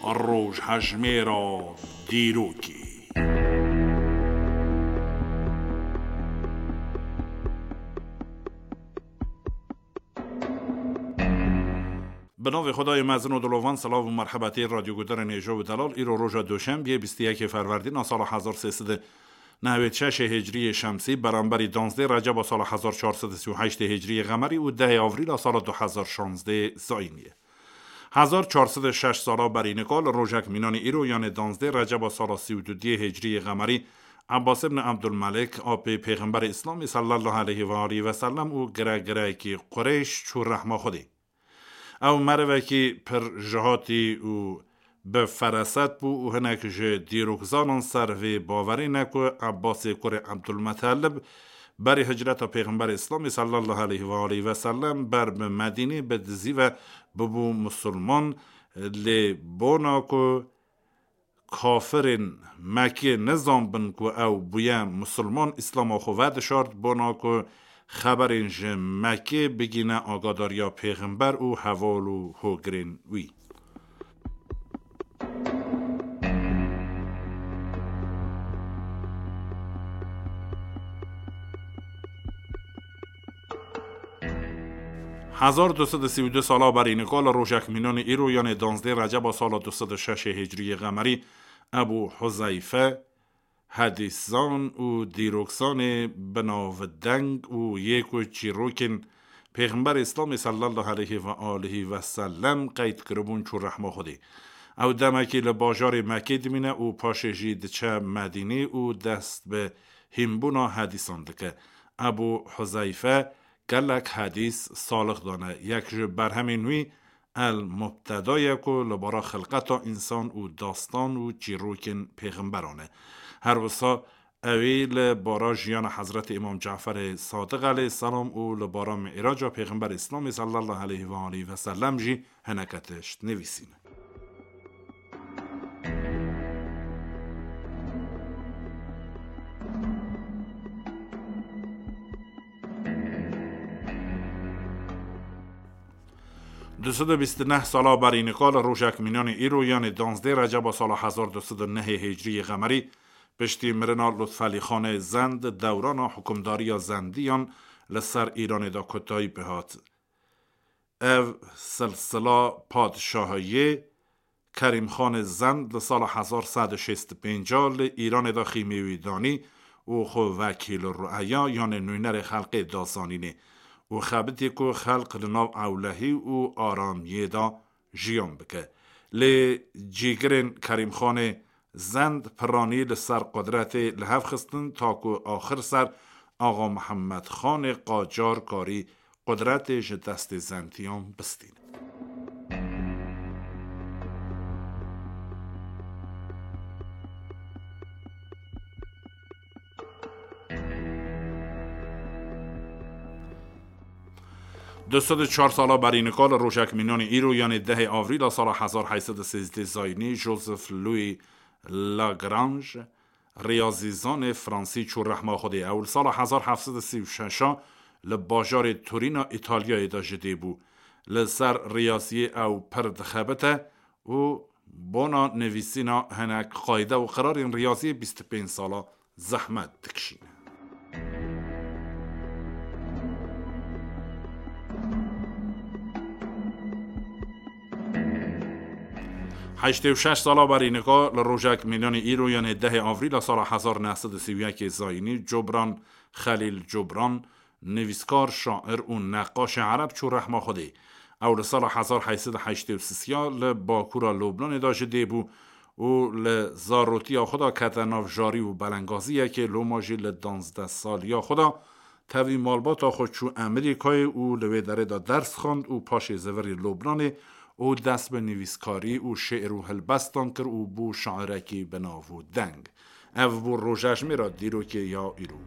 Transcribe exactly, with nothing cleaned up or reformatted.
Rojhejmêra dîrokê. Bi navê Xwedayê mezin û dilovan, silav û merhebetê radyoguhdarên hêja û delal. Îro roja Doşembiyê, bîst û yekê Ferwerdîna sala hezar sê sed û nehwêd şeşê Hicriyê Şemsî, beramberî danzdê Receba sala hezar çar sed û sî û heştê Hicriyê Qemerî û dehê Avrîla sala du hezar şazdê Zayîniyê. Hezar çar sed û şeş sala berî nika li rojek mînanî îro, yanê danzdê Receba sala sî û dudiyê Hicriyê Qemerî, Ebbas ibn Ebdulmelik, apê Pêxemberê Îslamê sallallahu aleyhi ve aleyhi ve sellem û giregireyekî Qureyş çû rehma Xwedê. Ew merivekî pir jihatî û bi feraset bû û hinek ji dîrokzanan ser vê bawerê ne ku Ebbasê kurê Ebdulmetelib berî hicreta Pêxemberê Îslamê sallallahu aleyhi ve aleyhi ve sellem ber bi Medînê bi dizî ve bibû misilman, lê bona ku kafirên Mekkê nizanbin ku ew bûye misilman, Îslama xwe vedişart, bona ku xeberên ji Mekkê bigîne agadariya Pêxember û heval û hogirên wî. Hezar du sed û sî û du sala berî nika li rojek mînanê îro, yanê danzdê Receba sala du sed û şeşê Hicriyê Qemerî, Ebû Huzeyfe, hedîszan û dîrokzanê binavdeng û yê ku çîrokên Pêxemberê Îslamê sallallahu aleyhi ve aleyhi ve sellem qeyd kiribûn, çû rehma Xwedê. Ew demekî li bajarê Mekkê dimîne û paşê jî diçe Medînê û dest bi hînbûna hedîsan dike. Ebû Huzeyfe gelek hedîs salix dane. Yek ji berhemên wî El Mubteda ye ku li bara xilqeta însan û dastan û çîrokên pêxemberan e. Her wisa ew ê li bara jiyana Hezretê Îmam Caferê Sadiq aleyh selam û li bara Mi'raca Pêxemberê Îslamê sallallahu aleyhi ve aleyhi ve sellem jî hineke tişt nivîsîne. Du sed û bîst û neh sala berî nika li rojek mînanê îro, yanê danzdê Receba sala hezar du sed û nehê Hicriyê Qemerî, piştî mirina Lutfelî Xanê Zend, dewrana hukimdariya Zendiyan li ser Îranê de kotayî pê hat. Ev silsila padşahiyê Kerîmxanê Zend li sala hezar sed û şêst û pênc li Îranê de xîmê wî danî û xwe wekîl rueya, yanê nûnerê xelkê da zanînê û xebitî ku xelk li nav ewlehî û aramiyê de jiyan bike. Lê cîgirên Kerîmxanê Zend piranî li ser qudretê li hev xistin, ta ku axir ser Axa Mihemed Xanê Qacar karî qudretê ji destê Zendiyan bistîne. Du sed û çar sala berî nika li rojek mînanê îro, yanê dehê Avrîla sala hezar heyt sed û sêzdeh Zayînî, Joseph Louis Lagrange, riyazîzanê fransî çû rehma Xwedê. Ew li sala hezar heft sed û sî û şeş li bajarê Torîna Îtalyayê de ji dê bû. Li ser riyaziyê ew pir dixebite û bona nivîsîna hinek qayde û qirarên riyaziyê bîst û pênc sala zehmet dikişîne. Heştê û şeş sala berî nika li rojek mînanê îro, yanê dehê Avrîla sala hezar neh sed û sî û yekê Zayînî, Cobran Xelîl Cobran, nivîskar, şair û neqaşê ereb çû rehma Xwedê. Ew li sala hezar heyt sed û heştê û sisiya li bakûra Lubnanê de ji dê bû û li zarotiya xwe de kete nav jarî û belengaziyekê, loma jî li danzdeh saliya xwe de tevî malbata xwe çû Emerîkayê û li wê derê de ders xwend û paşê zivirî Lubnanê û dest bi nivîskarî û şê'r û hilbestan kir û bû şairekî bi nav û deng. Ev bû rojejmêra dîrokê ya îro.